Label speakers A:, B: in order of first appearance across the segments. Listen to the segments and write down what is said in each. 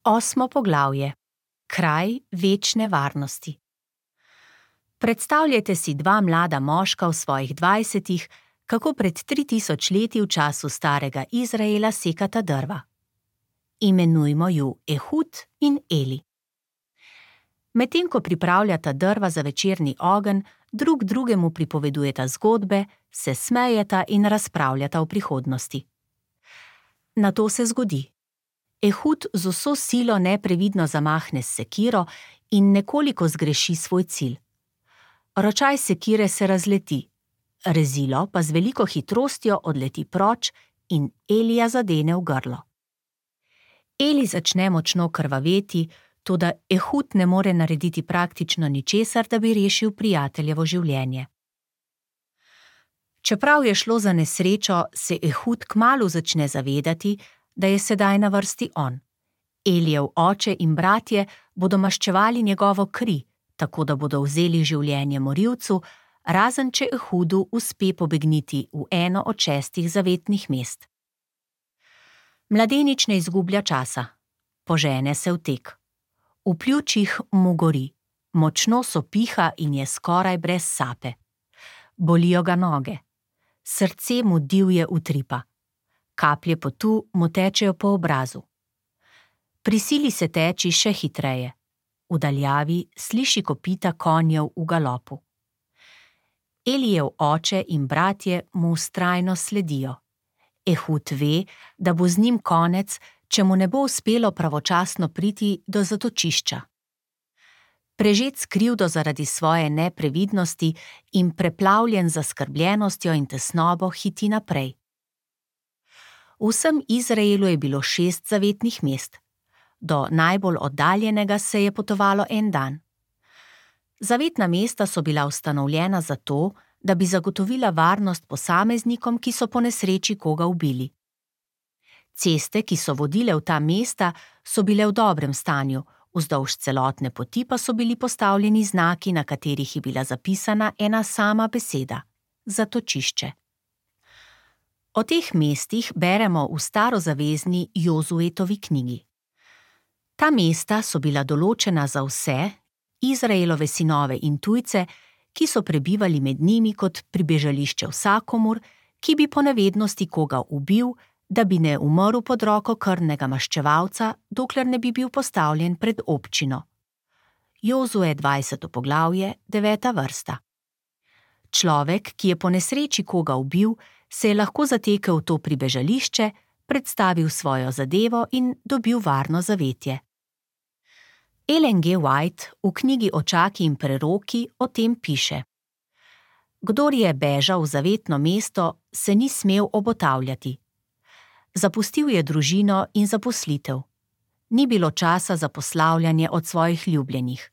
A: 8. poglavje. Kraj večne varnosti. Predstavljajte si dva mlada moška v svojih 20-ih, kako pred 3000 leti v času starega Izraela sekata drva. Imenujmo ju Ehud in Eli. Medtem ko pripravljata drva za večerni ogenj, drug drugemu pripovedujeta zgodbe, se smejeta in razpravljata o prihodnosti. Nato se zgodi. Ehud z vso silo neprevidno zamahne s sekiro in nekoliko zgreši svoj cilj. Ročaj sekire se razleti, rezilo pa z veliko hitrostjo odleti proč in Elija zadene v grlo. Eli začne močno krvaveti, toda Ehud ne more narediti praktično ničesar, da bi rešil prijateljevo življenje. Čeprav je šlo za nesrečo, se Ehud kmalu začne zavedati, da je sedaj na vrsti on. Elijev oče in bratje bodo maščevali njegovo kri, tako da bodo vzeli življenje morilcu, razen če Ehudu uspe pobegniti v eno od 6 zavetnih mest. Mladenič ne izgublja časa. Požene se v tek. V pljučih mu gori, močno sopiha in je skoraj brez sape. Bolijo ga noge. Srce mu divje utripa. Kaplje potu mu tečejo po obrazu. Prisili se teči še hitreje. V daljavi sliši kopita konjev v galopu. Elijev oče in bratje mu vztrajno sledijo. Ehud ve, da bo z njim konec, če mu ne bo uspelo pravočasno priti do zatočišča. Prežet s krivdo zaradi svoje neprevidnosti in preplavljen z zaskrbljenostjo in tesnobo hiti naprej. V vsem Izraelu je bilo 6 zavetnih mest. Do najbolj oddaljenega se je potovalo en dan. Zavetna mesta so bila ustanovljena zato, da bi zagotovila varnost posameznikom, ki so po nesreči koga ubili. Ceste, ki so vodile v ta mesta, so bile v dobrem stanju, vzdolž celotne poti pa so bili postavljeni znaki, na katerih je bila zapisana ena sama beseda – zatočišče. O teh mestih beremo v starozavezni Jozuetovi knjigi. Ta mesta so bila določena za vse, Izraelove sinove in tujce, ki so prebivali med njimi kot pribežališče vsakomur, ki bi po nevednosti koga ubil, da bi ne umrl pod roko krvnega maščevalca, dokler ne bi bil postavljen pred občino. Jozue 20. poglavje, 9. vrsta. Človek, ki je po nesreči koga ubil, se je lahko zatekel v to pribežališče, predstavil svojo zadevo in dobil varno zavetje. Ellen G. White v knjigi Očaki in preroki o tem piše: Kdor je bežal v zavetno mesto, se ni smel obotavljati. Zapustil je družino in zaposlitev. Ni bilo časa za poslavljanje od svojih ljubljenih.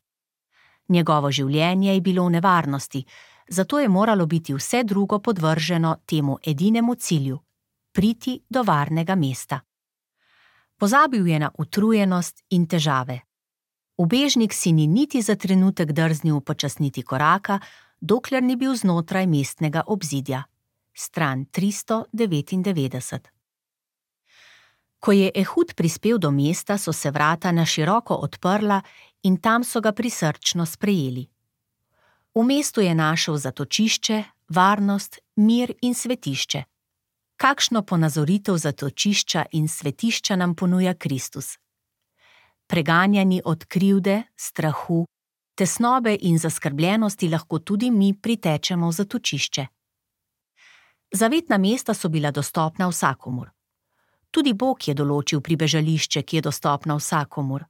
A: Njegovo življenje je bilo v nevarnosti, zato je moralo biti vse drugo podvrženo temu edinemu cilju – priti do varnega mesta. Pozabil je na utrujenost in težave. Ubežnik si ni niti za trenutek drznil upočasniti koraka, dokler ni bil znotraj mestnega obzidja. Stran 399. Ko je Ehud prispel do mesta, so se vrata na široko odprla in tam so ga prisrčno sprejeli. V mestu je našel zatočišče, varnost, mir in svetišče. Kakšno ponazoritev zatočišča in svetišča nam ponuja Kristus? Preganjani od krivde, strahu, tesnobe in zaskrbljenosti lahko tudi mi pritečemo v zatočišče. Zavetna mesta so bila dostopna vsakomur. Tudi Bog je določil pribežališče, ki je dostopno vsakomur.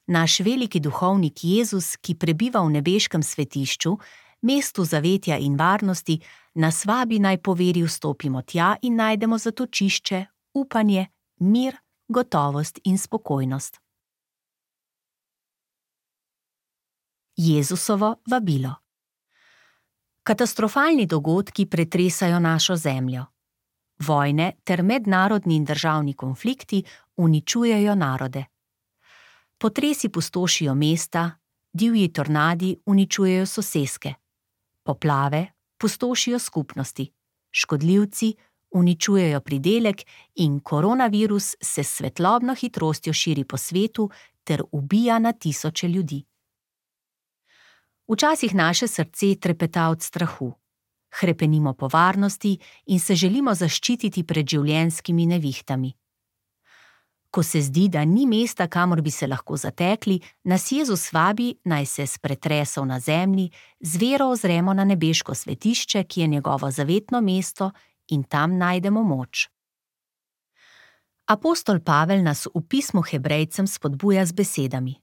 A: Naš veliki duhovnik Jezus, ki prebiva v nebeškem svetišču, mestu zavetja in varnosti, nas vabi naj po veri vstopimo tja in najdemo zatočišče, upanje, mir, gotovost in spokojnost. Jezusovo vabilo. Katastrofalni dogodki pretresajo našo zemljo. Vojne ter mednarodni in državni konflikti uničujejo narode. Potresi pustošijo mesta, divji tornadi uničujejo soseske. Poplave pustošijo skupnosti, škodljivci uničujejo pridelek in koronavirus se s svetlobno hitrostjo širi po svetu ter ubija na tisoče ljudi. Včasih naše srce trepeta od strahu. Hrepenimo po varnosti in se želimo zaščititi pred življenjskimi nevihtami. Ko se zdi, da ni mesta, kamor bi se lahko zatekli, nas Jezus vabi, naj se s pretresov na zemlji z vero ozremo na nebeško svetišče, ki je njegovo zavetno mesto, in tam najdemo moč. Apostol Pavel nas v pismu Hebrejcem spodbuja z besedami: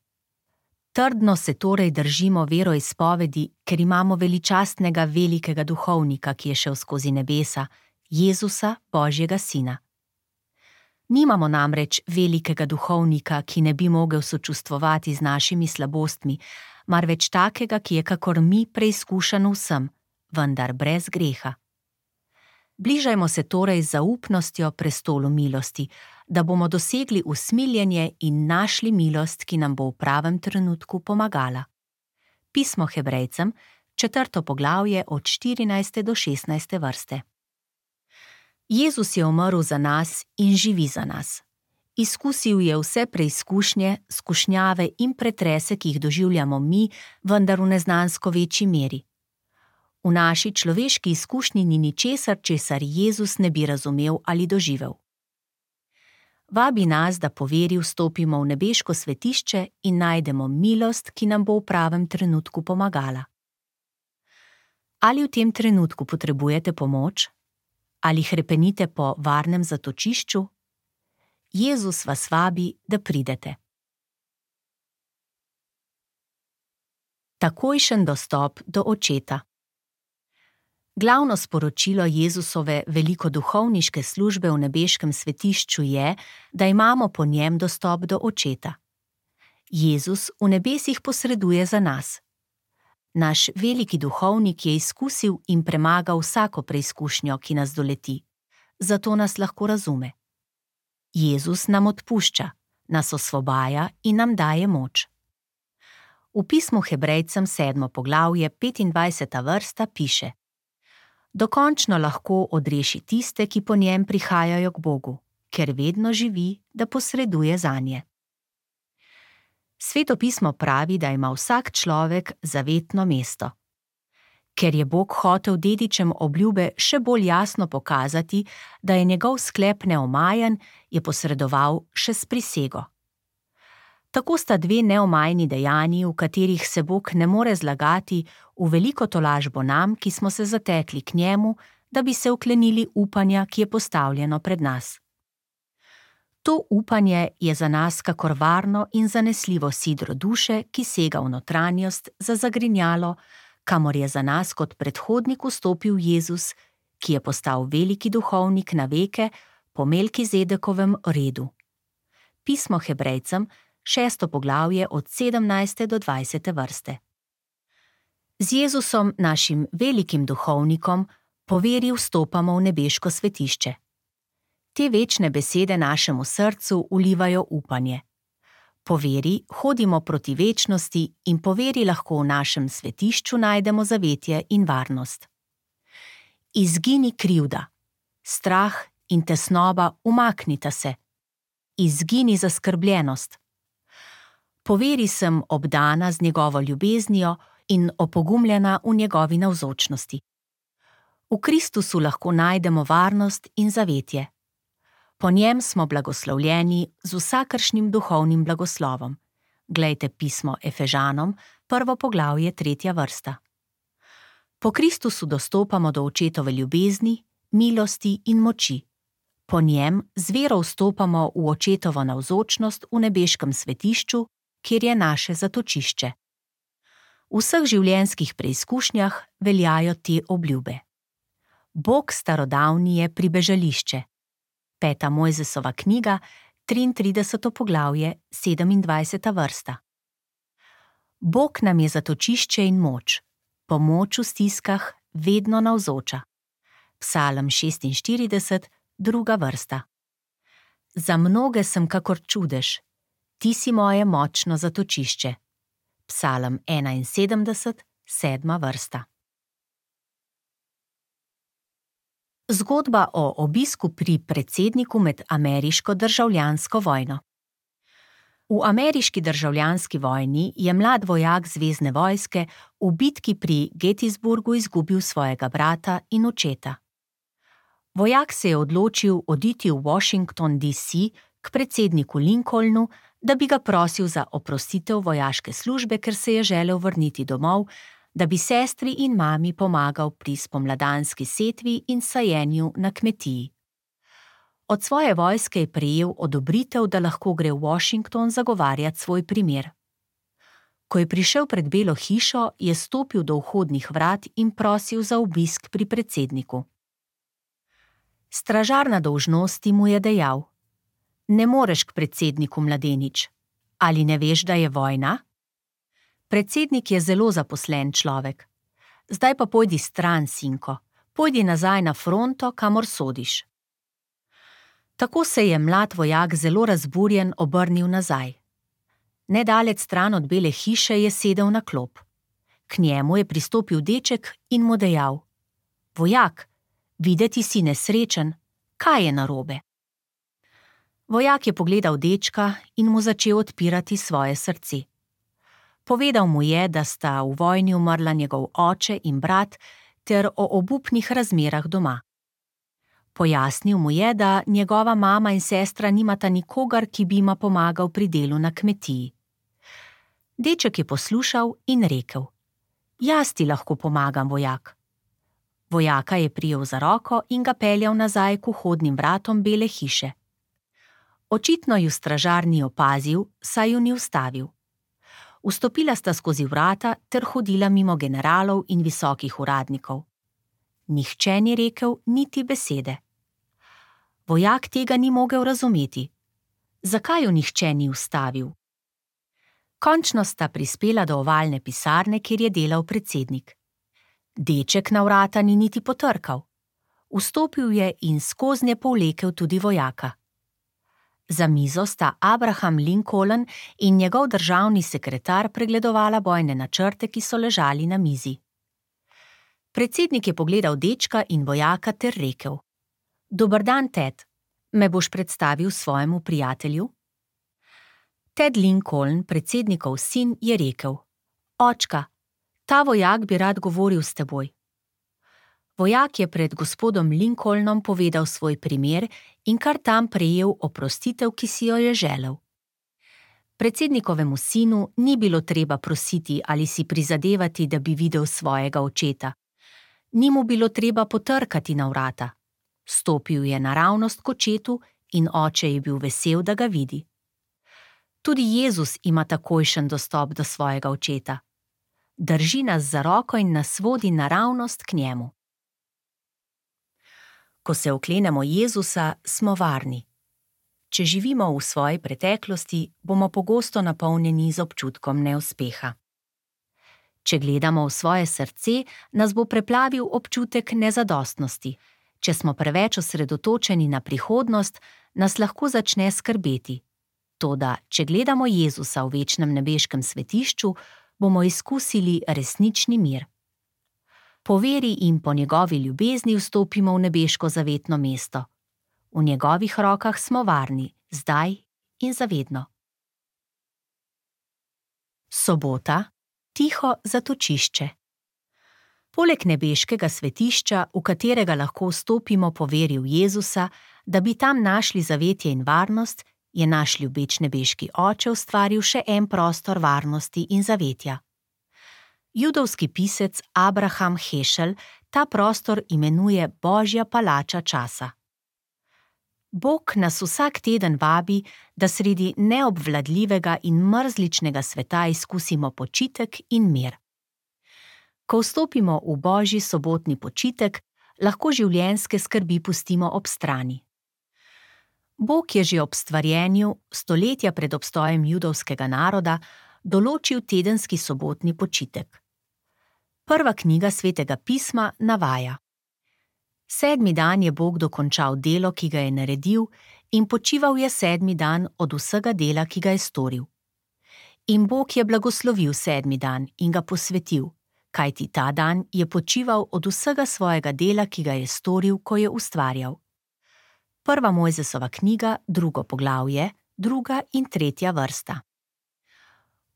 A: Trdno se torej držimo veroizpovedi, ker imamo veličastnega velikega duhovnika, ki je šel skozi nebesa, Jezusa, Božjega sina. Nimamo namreč velikega duhovnika, ki ne bi mogel sočustvovati z našimi slabostmi, marveč takega, ki je kakor mi preizkušen vsem, vendar brez greha. Bližajmo se torej z zaupnostjo prestolu milosti, da bomo dosegli usmiljenje in našli milost, ki nam bo v pravem trenutku pomagala. Pismo Hebrejcem, 4. poglavje od 14. do 16. vrste. Jezus je umrl za nas in živi za nas. Izkusil je vse preizkušnje, skušnjave in pretrese, ki jih doživljamo mi, vendar v neznansko večji meri. V naši človeški izkušnji ni ničesar, česar Jezus ne bi razumel ali doživel. Vabi nas, da po veri vstopimo v nebeško svetišče in najdemo milost, ki nam bo v pravem trenutku pomagala. Ali v tem trenutku potrebujete pomoč? Ali hrepenite po varnem zatočišču? Jezus vas vabi, da pridete. Takojšen dostop do Očeta. Glavno sporočilo Jezusove velikoduhovniške službe v nebeškem svetišču je, da imamo po njem dostop do Očeta. Jezus v nebesih posreduje za nas. Naš veliki duhovnik je izkusil in premagal vsako preizkušnjo, ki nas doleti, zato nas lahko razume. Jezus nam odpušča, nas osvobaja in nam daje moč. V pismu Hebrejcem 7. poglavje 25. vrsta piše: Dokončno lahko odreši tiste, ki po njem prihajajo k Bogu, ker vedno živi, da posreduje zanje. Sveto pismo pravi, da ima vsak človek zavetno mesto. Ker je Bog hotel dedičem obljube še bolj jasno pokazati, da je njegov sklep neomajen, je posredoval še s prisego. Tako sta dve neomajni dejanji, v katerih se Bog ne more zlagati, v veliko tolažbo nam, ki smo se zatekli k njemu, da bi se uklenili upanja, ki je postavljeno pred nas. To upanje je za nas kakor varno in zanesljivo sidro duše, ki sega v notranjost za zagrinjalo, kamor je za nas kot predhodnik vstopil Jezus, ki je postal veliki duhovnik na veke po Melkizedekovem redu. Pismo Hebrejcem, 6. poglavje od 17. do 20. vrste. Z Jezusom, našim velikim duhovnikom, po veri vstopamo v nebeško svetišče. Te večne besede našemu srcu vlivajo upanje. Po veri hodimo proti večnosti in po veri lahko v našem svetišču najdemo zavetje in varnost. Izgini krivda, strah in tesnoba umaknita se. Izgini zaskrbljenost. Po veri sem obdana z njegovo ljubeznijo in opogumljena v njegovi navzočnosti. V Kristusu lahko najdemo varnost in zavetje. Po njem smo blagoslovljeni z vsakršnim duhovnim blagoslovom. Glejte pismo Efežanom, 1. poglavje, 3. vrsta. Po Kristusu dostopamo do Očetove ljubezni, milosti in moči. Po njem z vero vstopamo v Očetovo navzočnost v nebeškem svetišču, kjer je naše zatočišče. V vseh življenjskih preizkušnjah veljajo te obljube. Bog starodavni je pribežališče. 5. Mojzesova knjiga, 33. poglavje, 27. vrsta. Bog nam je zatočišče in moč, pomoč v stiskah vedno navzoča. Psalm 46, 2. vrsta. Za mnoge sem kakor čudež, ti si moje močno zatočišče. Psalm 71, 7. vrsta. Zgodba o obisku pri predsedniku med ameriško državljansko vojno. V ameriški državljanski vojni je mlad vojak zvezne vojske v bitki pri Gettysburgu izgubil svojega brata in očeta. Vojak se je odločil oditi v Washington DC k predsedniku Lincolnu, da bi ga prosil za oprostitev vojaške službe, ker se je želel vrniti domov, da bi sestri in mami pomagal pri spomladanski setvi in sajenju na kmetiji. Od svoje vojske je prejel odobritev, da lahko gre v Washington zagovarjati svoj primer. Ko je prišel pred Belo hišo, je stopil do vhodnih vrat in prosil za obisk pri predsedniku. Stražar na dolžnosti mu je dejal: "Ne moreš k predsedniku, mladenič. Ali ne veš, da je vojna? Predsednik je zelo zaposlen človek. Zdaj pa pojdi stran, sinko, pojdi nazaj na fronto, kamor sodiš." Tako se je mlad vojak zelo razburjen obrnil nazaj. Nedaleč stran od Bele hiše je sedel na klop. K njemu je pristopil deček in mu dejal: "Vojak, videti si nesrečen, kaj je narobe?" Vojak je pogledal dečka in mu začel odpirati svoje srce. Povedal mu je, da sta v vojni umrla njegov oče in brat ter o obupnih razmerah doma. Pojasnil mu je, da njegova mama in sestra nimata nikogar, ki bi jima pomagal pri delu na kmetiji. Deček je poslušal in rekel: "Jaz ti lahko pomagam, vojak." Vojaka je prijel za roko in ga peljal nazaj k vhodnim vratom Bele hiše. Očitno ju stražar ni opazil, saj ju ni ustavil. Vstopila sta skozi vrata ter hodila mimo generalov in visokih uradnikov. Nihče ni rekel niti besede. Vojak tega ni mogel razumeti. Zakaj ju nihče ni ustavil? Končno sta prispela do ovalne pisarne, kjer je delal predsednik. Deček na vrata ni niti potrkal. Vstopil je in skoznje povlekel tudi vojaka. Za mizo sta Abraham Lincoln in njegov državni sekretar pregledovala bojne načrte, ki so ležali na mizi. Predsednik je pogledal dečka in vojaka ter rekel: "Dober dan, Ted. Me boš predstavil svojemu prijatelju?" Ted Lincoln, predsednikov sin, je rekel: "Očka, ta vojak bi rad govoril s teboj." Vojak je pred gospodom Lincolnom povedal svoj primer in kar tam prejel oprostitev, ki si jo je želel. Predsednikovemu sinu ni bilo treba prositi ali si prizadevati, da bi videl svojega očeta. Ni mu bilo treba potrkati na vrata. Stopil je naravnost k očetu in oče je bil vesel, da ga vidi. Tudi Jezus ima takojšen dostop do svojega očeta. Drži nas za roko in nas vodi naravnost k njemu. Ko se oklenemo Jezusa, smo varni. Če živimo v svoji preteklosti, bomo pogosto napolnjeni z občutkom neuspeha. Če gledamo v svoje srce, nas bo preplavil občutek nezadostnosti. Če smo preveč osredotočeni na prihodnost, nas lahko začne skrbeti. Toda, če gledamo Jezusa v večnem nebeškem svetišču, bomo izkusili resnični mir. Po veri in po njegovi ljubezni vstopimo v nebeško zavetno mesto. V njegovih rokah smo varni, zdaj in zavedno. Sobota. Tiho zatočišče. Poleg nebeškega svetišča, v katerega lahko vstopimo po veri v Jezusa, da bi tam našli zavetje in varnost, je naš ljubeč nebeški Oče ustvaril še en prostor varnosti in zavetja. Judovski pisec Abraham Heschel ta prostor imenuje Božja palača časa. Bog nas vsak teden vabi, da sredi neobvladljivega in mrzličnega sveta izkusimo počitek in mir. Ko vstopimo v Božji sobotni počitek, lahko življenjske skrbi pustimo ob strani. Bog je že ob stvarjenju, stoletja pred obstojem judovskega naroda, določil tedenski sobotni počitek. Prva knjiga Svetega pisma navaja: 7. dan je Bog dokončal delo, ki ga je naredil, in počival je 7. dan od vsega dela, ki ga je storil. In Bog je blagoslovil 7. dan in ga posvetil, kajti ta dan je počival od vsega svojega dela, ki ga je storil, ko je ustvarjal. 1. Mojzesova knjiga, 2. poglavje, 2. in 3. vrsta.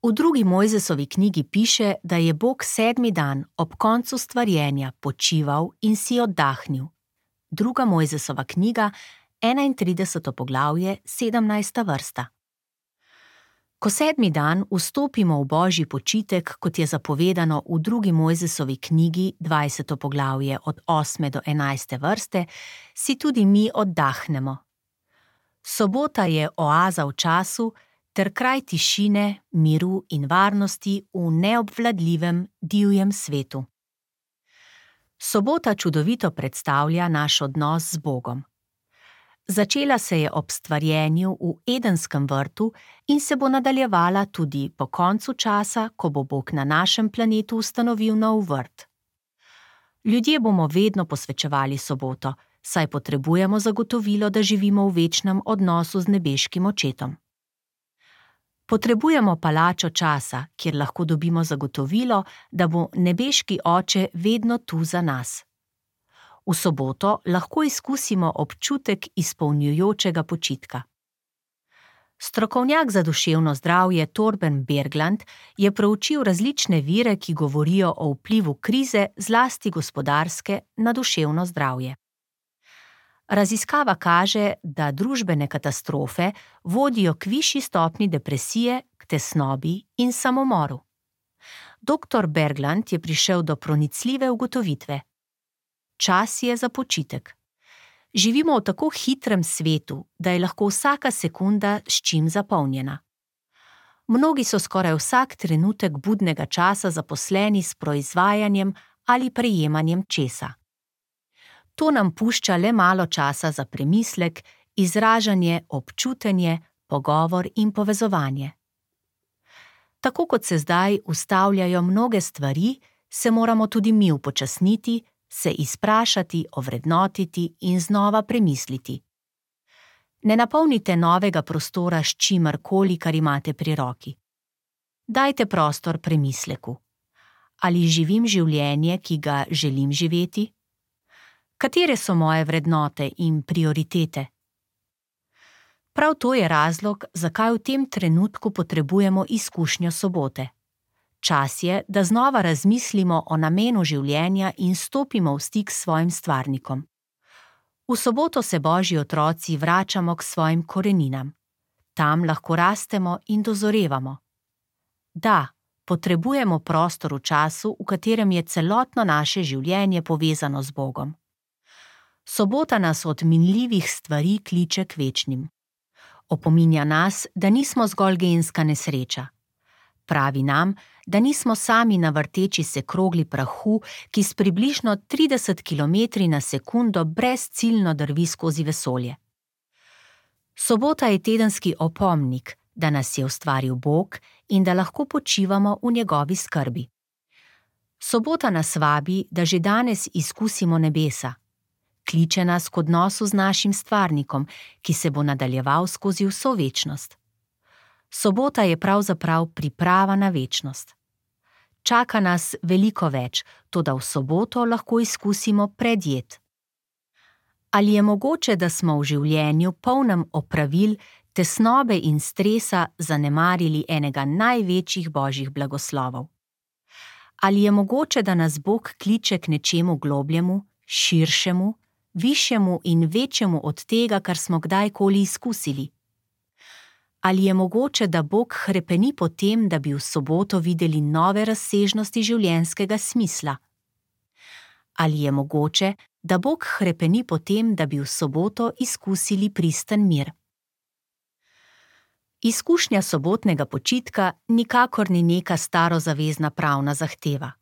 A: V 2. Mojzesovi knjigi piše, da je Bog 7. dan ob koncu stvarjenja počival in si oddahnil. 2. Mojzesova knjiga, 31. poglavje, 17. vrsta. Ko 7. dan vstopimo v božji počitek, kot je zapovedano v 2. Mojzesovi knjigi, 20. poglavje od 8. do 11. vrste, si tudi mi oddahnemo. Sobota je oaza v času ter kraj tišine, miru in varnosti v neobvladljivem, divjem svetu. Sobota čudovito predstavlja naš odnos z Bogom. Začela se je ob stvarjenju v Edenskem vrtu in se bo nadaljevala tudi po koncu časa, ko bo Bog na našem planetu ustanovil nov vrt. Ljudje bomo vedno posvečevali soboto, saj potrebujemo zagotovilo, da živimo v večnem odnosu z nebeškim očetom. Potrebujemo palačo časa, kjer lahko dobimo zagotovilo, da bo nebeški oče vedno tu za nas. V soboto lahko izkusimo občutek izpolnjujočega počitka. Strokovnjak za duševno zdravje Torben Bergland je proučil različne vire, ki govorijo o vplivu krize, zlasti gospodarske, na duševno zdravje. Raziskava kaže, da družbene katastrofe vodijo k višji stopnji depresije, k tesnobi in samomoru. Dr. Bergland je prišel do pronicljive ugotovitve. Čas je za počitek. Živimo v tako hitrem svetu, da je lahko vsaka sekunda s čim zapolnjena. Mnogi so skoraj vsak trenutek budnega časa zaposleni s proizvajanjem ali prejemanjem česa. To nam pušča le malo časa za premislek, izražanje, občutenje, pogovor in povezovanje. Tako kot se zdaj ustavljajo mnoge stvari, se moramo tudi mi upočasniti, se izprašati, ovrednotiti in znova premisliti. Ne napolnite novega prostora s čimerkoli, kar imate pri roki. Dajte prostor premisleku. Ali živim življenje, ki ga želim živeti? Katere so moje vrednote in prioritete? Prav to je razlog, zakaj v tem trenutku potrebujemo izkušnjo sobote. Čas je, da znova razmislimo o namenu življenja in stopimo v stik s svojim stvarnikom. V soboto se Božji otroci vračamo k svojim koreninam. Tam lahko rastemo in dozorevamo. Da, potrebujemo prostor v času, v katerem je celotno naše življenje povezano z Bogom. Sobota nas od minljivih stvari kliče k večnim. Opominja nas, da nismo zgolj genska nesreča. Pravi nam, da nismo sami na vrteči se krogli prahu, ki s približno 30 km/s brezciljno drvi skozi vesolje. Sobota je tedenski opomnik, da nas je ustvaril Bog in da lahko počivamo v njegovi skrbi. Sobota nas vabi, da že danes izkusimo nebesa. Kliče nas k odnosu z našim stvarnikom, ki se bo nadaljeval skozi vso večnost. Sobota je pravzaprav priprava na večnost. Čaka nas veliko več, toda v soboto lahko izkusimo predjed. Ali je mogoče, da smo v življenju polnem opravil, tesnobe in stresa zanemarili enega največjih božjih blagoslovov? Ali je mogoče, da nas Bog kliče k nečemu globljemu, širšemu, višjemu in večjemu od tega, kar smo kdajkoli izkusili? Ali je mogoče, da Bog hrepeni po tem, da bi v soboto videli nove razsežnosti življenjskega smisla? Ali je mogoče, da Bog hrepeni po tem, da bi v soboto izkusili pristen mir? Izkušnja sobotnega počitka nikakor ni neka starozavezna pravna zahteva.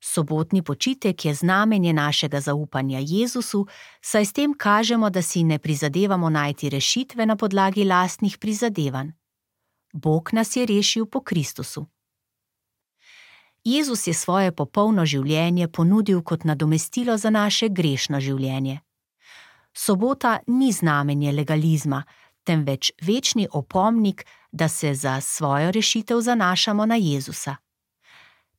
A: Sobotni počitek je znamenje našega zaupanja Jezusu, saj s tem kažemo, da si ne prizadevamo najti rešitve na podlagi lastnih prizadevanj. Bog nas je rešil po Kristusu. Jezus je svoje popolno življenje ponudil kot nadomestilo za naše grešno življenje. Sobota ni znamenje legalizma, temveč večni opomnik, da se za svojo rešitev zanašamo na Jezusa.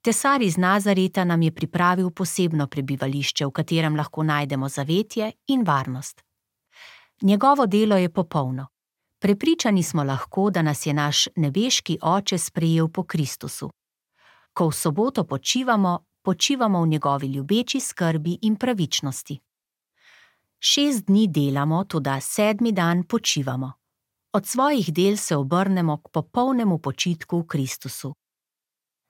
A: Tesar iz Nazareta nam je pripravil posebno prebivališče, v katerem lahko najdemo zavetje in varnost. Njegovo delo je popolno. Prepričani smo lahko, da nas je naš nebeški Oče sprejel po Kristusu. Ko v soboto počivamo, počivamo v njegovi ljubeči skrbi in pravičnosti. 6 dni delamo, toda 7. dan počivamo. Od svojih del se obrnemo k popolnemu počitku v Kristusu.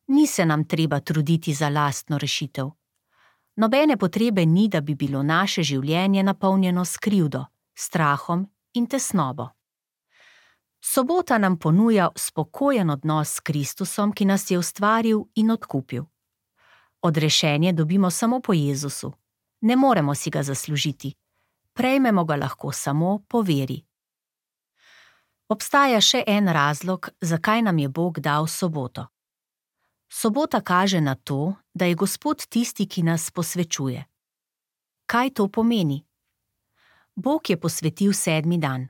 A: Ni se nam treba truditi za lastno rešitev. Nobene potrebe ni, da bi bilo naše življenje napolnjeno s krivdo, strahom in tesnobo. Sobota nam ponuja spokojen odnos s Kristusom, ki nas je ustvaril in odkupil. Odrešenje dobimo samo po Jezusu. Ne moremo si ga zaslužiti. Prejmemo ga lahko samo po veri. Obstaja še en razlog, zakaj nam je Bog dal soboto. Sobota kaže na to, da je Gospod tisti, ki nas posvečuje. Kaj to pomeni? Bog je posvetil 7. dan.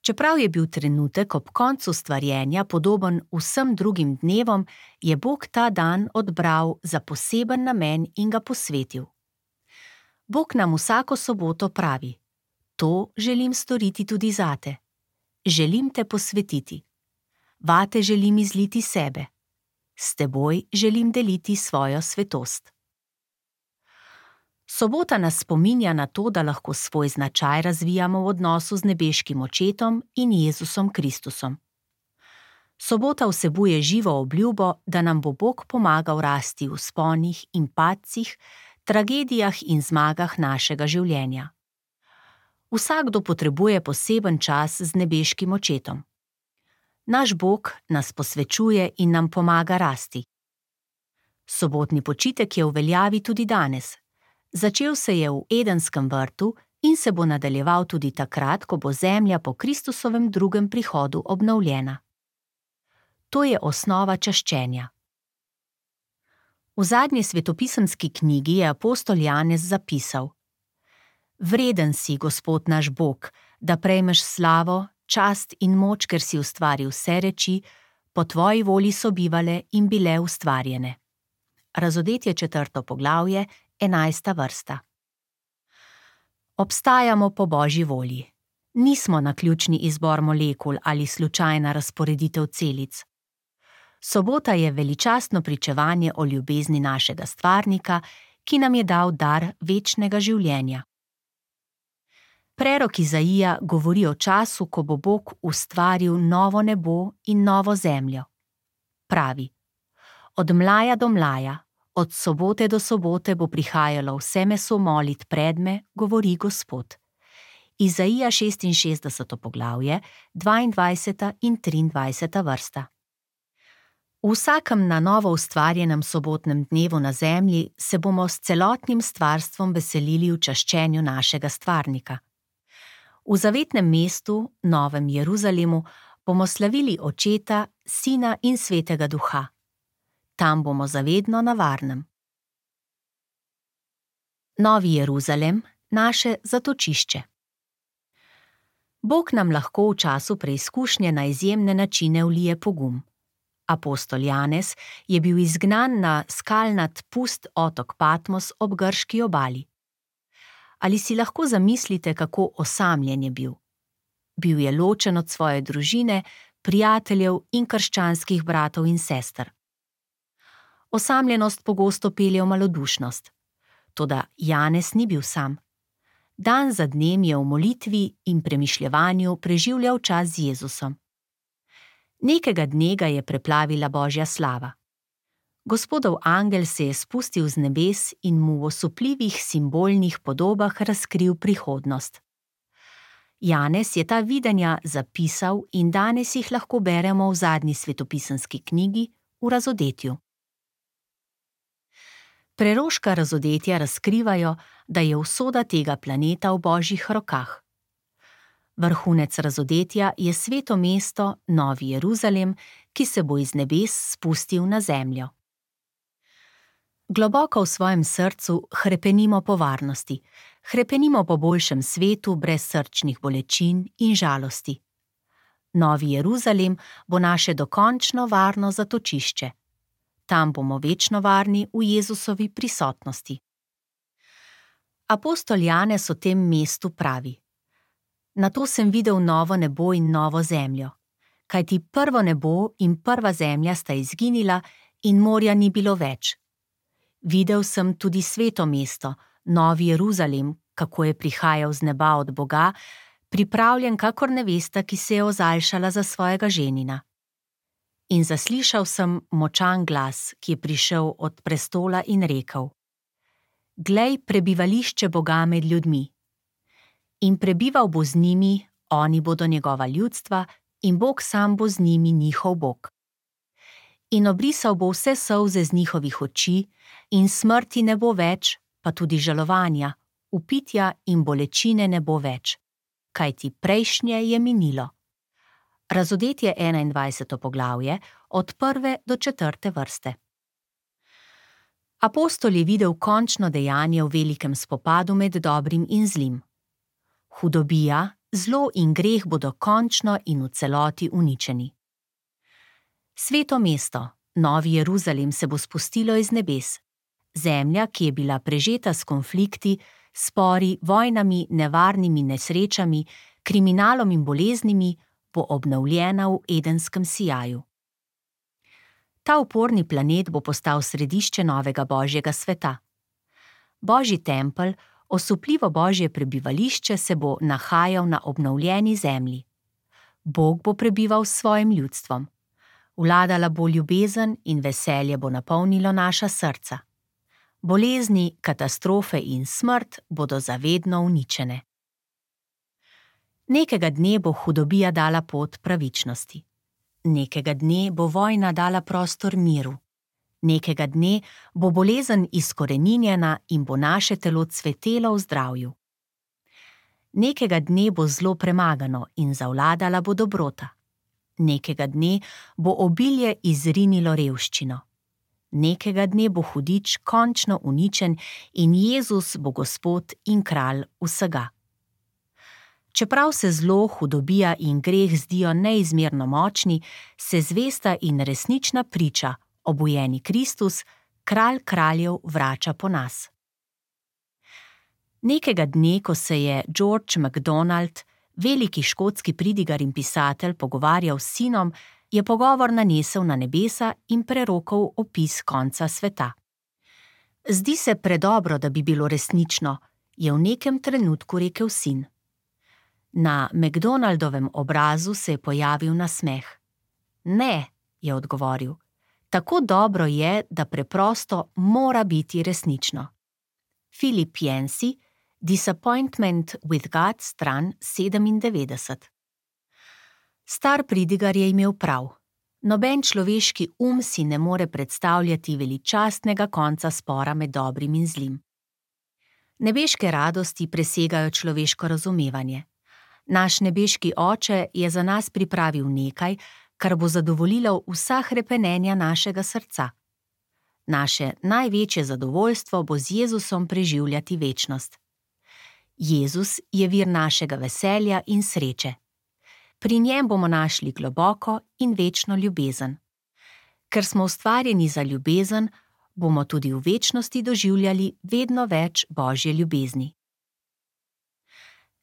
A: Čeprav je bil trenutek ob koncu stvarjenja podoben vsem drugim dnevom, je Bog ta dan odbral za poseben namen in ga posvetil. Bog nam vsako soboto pravi: to želim storiti tudi zate. Želim te posvetiti. Vate želim izliti sebe. S teboj želim deliti svojo svetost. Sobota nas spominja na to, da lahko svoj značaj razvijamo v odnosu z nebeškim Očetom in Jezusom Kristusom. Sobota vsebuje živo obljubo, da nam bo Bog pomagal rasti v vzponih in padcih, tragedijah in zmagah našega življenja. Vsakdo potrebuje poseben čas z nebeškim Očetom. Naš Bog nas posvečuje in nam pomaga rasti. Sobotni počitek je v veljavi tudi danes. Začel se je v Edenskem vrtu in se bo nadaljeval tudi takrat, ko bo zemlja po Kristusovem drugem prihodu obnovljena. To je osnova čaščenja. V zadnji svetopisemski knjigi je apostol Janez zapisal: Vreden si, Gospod naš Bog, da prejmeš slavo, čast in moč, ker si ustvaril vse reči, po tvoji volji so bivale in bile ustvarjene. Razodetje 4. poglavje, 11. vrsta. Obstajamo po Božji volji. Nismo naključni izbor molekul ali slučajna razporeditev celic. Sobota je veličastno pričevanje o ljubezni našega stvarnika, ki nam je dal dar večnega življenja. Prerok Izaija govori o času, ko bo Bog ustvaril novo nebo in novo zemljo. Pravi: od mlaja do mlaja, od sobote do sobote bo prihajalo vse meso molit pred me, govori Gospod. Izaija 66. poglavje, 22. in 23. vrsta. V vsakem na novo ustvarjenem sobotnem dnevu na zemlji se bomo s celotnim stvarstvom veselili v čaščenju našega stvarnika. V zavetnem mestu, Novem Jeruzalemu, bomo slavili Očeta, Sina in Svetega Duha. Tam bomo zavedno na varnem. Novi Jeruzalem, naše zatočišče. Bog nam lahko v času preizkušnje na izjemne načine vlije pogum. Apostol Janez je bil izgnan na skalnat pust otok Patmos ob grški obali. Ali si lahko zamislite, kako osamljen je bil? Bil je ločen od svoje družine, prijateljev in krščanskih bratov in sester. Osamljenost pogosto pelje v malodušnost. Toda Janez ni bil sam. Dan za dnem je v molitvi in premišljevanju preživljal čas z Jezusom. Nekega dne ga je preplavila Božja slava. Gospodov angel se je spustil z nebes in mu v osupljivih simbolnih podobah razkril prihodnost. Janez je ta videnja zapisal in danes jih lahko beremo v zadnji svetopisemski knjigi, v Razodetju. Preroška razodetja razkrivajo, da je usoda tega planeta v Božjih rokah. Vrhunec razodetja je sveto mesto, Novi Jeruzalem, ki se bo iz nebes spustil na zemljo. Globoko v svojem srcu hrepenimo po varnosti, hrepenimo po boljšem svetu brez srčnih bolečin in žalosti. Novi Jeruzalem bo naše dokončno varno zatočišče. Tam bomo večno varni v Jezusovi prisotnosti. Apostol Janez o tem mestu pravi: Nato sem videl novo nebo in novo zemljo, kajti prvo nebo in prva zemlja sta izginila in morja ni bilo več. Videl sem tudi sveto mesto, Novi Jeruzalem, kako je prihajal z neba od Boga, pripravljen kakor nevesta, ki se je ozaljšala za svojega ženina. In zaslišal sem močan glas, ki je prišel od prestola in rekel: Glej, prebivališče Boga med ljudmi. In prebival bo z njimi, oni bodo njegova ljudstva, in Bog sam bo z njimi njihov Bog. In obrisal bo vse solze z njihovih oči, in smrti ne bo več, pa tudi žalovanja, vpitja in bolečine ne bo več, kajti prejšnje je minilo. Razodetje 21. poglavje, od 1. do 4. vrste. Apostol je videl končno dejanje v velikem spopadu med dobrim in zlim. Hudobija, zlo in greh bodo končno in v celoti uničeni. Sveto mesto, Novi Jeruzalem, se bo spustilo iz nebes. Zemlja, ki je bila prežeta s konflikti, spori, vojnami, nevarnimi nesrečami, kriminalom in boleznimi, bo obnovljena v edenskem sijaju. Ta uporni planet bo postal središče novega Božjega sveta. Božji tempelj, osupljivo Božje prebivališče, se bo nahajal na obnovljeni zemlji. Bog bo prebival s svojim ljudstvom. Vladala bo ljubezen in veselje bo napolnilo naša srca. Bolezni, katastrofe in smrt bodo zavedno uničene. Nekega dne bo hudobija dala pot pravičnosti. Nekega dne bo vojna dala prostor miru. Nekega dne bo bolezen izkoreninjena in bo naše telo cvetelo v zdravju. Nekega dne bo zlo premagano in zavladala bo dobrota. Nekega dne bo obilje izrinilo revščino. Nekega dne bo hudič končno uničen in Jezus bo Gospod in kralj vsega. Čeprav se zlo, hudobija in greh zdijo neizmerno močni, se zvesta in resnična priča, obujeni Kristus, kralj kraljev, vrača po nas. Nekega dne, ko se je George MacDonald, veliki škotski pridigar in pisatelj, pogovarjal s sinom, je pogovor nanesel na nebesa in prerokal opis konca sveta. Zdi se predobro, da bi bilo resnično, je v nekem trenutku rekel sin. Na MacDonaldovem obrazu se je pojavil nasmeh. Ne, je odgovoril, tako dobro je, da preprosto mora biti resnično. Philip Yancey, Disappointment with God, stran 97. Star pridigar je imel prav. Noben človeški si ne more predstavljati veličastnega konca spora med dobrim in zlim. Nebeške radosti presegajo človeško razumevanje. Naš nebeški Oče je za nas pripravil nekaj, kar bo zadovoljilo vsa hrepenenja našega srca. Naše največje zadovoljstvo bo z Jezusom preživljati večnost. Jezus je vir našega veselja in sreče. Pri njem bomo našli globoko in večno ljubezen. Ker smo ustvarjeni za ljubezen, bomo tudi v večnosti doživljali vedno več Božje ljubezni.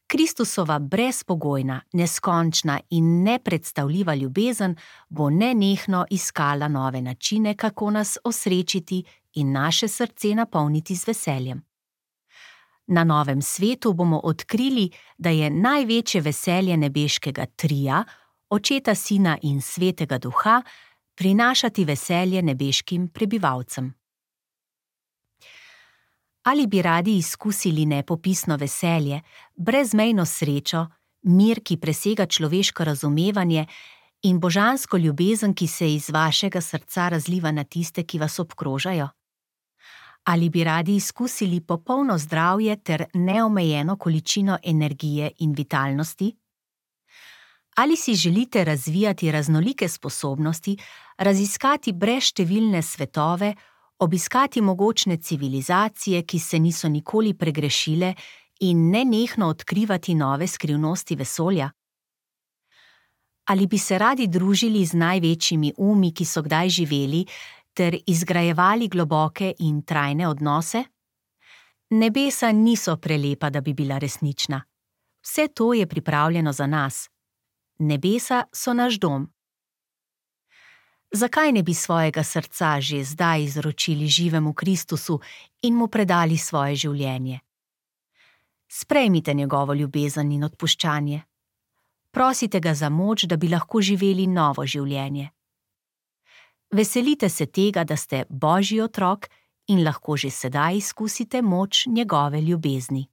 A: Kristusova brezpogojna, neskončna in nepredstavljiva ljubezen bo nenehno iskala nove načine, kako nas osrečiti in naše srce napolniti z veseljem. Na novem svetu bomo odkrili, da je največje veselje nebeškega trija, Očeta, Sina in Svetega Duha, prinašati veselje nebeškim prebivalcem. Ali bi radi izkusili nepopisno veselje, brezmejno srečo, mir, ki presega človeško razumevanje in božansko ljubezen, ki se iz vašega srca razliva na tiste, ki vas obkrožajo? Ali bi radi izkusili popolno zdravje ter neomejeno količino energije in vitalnosti? Ali si želite razvijati raznolike sposobnosti, raziskati brezštevilne svetove, obiskati mogočne civilizacije, ki se niso nikoli pregrešile, in nenehno odkrivati nove skrivnosti vesolja? Ali bi se radi družili z največjimi ki so kdaj živeli, ter izgrajevali globoke in trajne odnose? Nebesa niso prelepa, da bi bila resnična. Vse to je pripravljeno za nas. Nebesa so naš dom. Zakaj ne bi svojega srca že zdaj izročili živemu Kristusu in mu predali svoje življenje? Sprejmite njegovo ljubezen in odpuščanje. Prosite ga za moč, da bi lahko živeli novo življenje. Veselite se tega, da ste Božji otrok in lahko že sedaj izkusite moč njegove ljubezni.